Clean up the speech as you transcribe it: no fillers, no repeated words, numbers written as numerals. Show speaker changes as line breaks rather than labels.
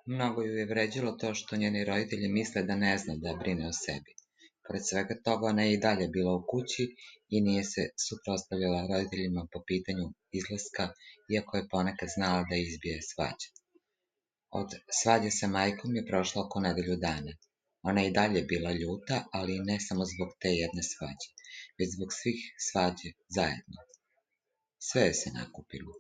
Mnogo ju je vređalo to što njeni roditelji misle da ne zna da brine o sebi. Pored svega toga, ona je i dalje bila u kući i nije se suprotstavljala roditeljima po pitanju izlaska, iako je ponekad znala da izbije svađe. Od svađe sa majkom je prošlo oko nedelju dana. Ona je i dalje bila ljuta, ali ne samo zbog te jedne svađe, već zbog svih svađe zajedno. Sve je se nakupilo.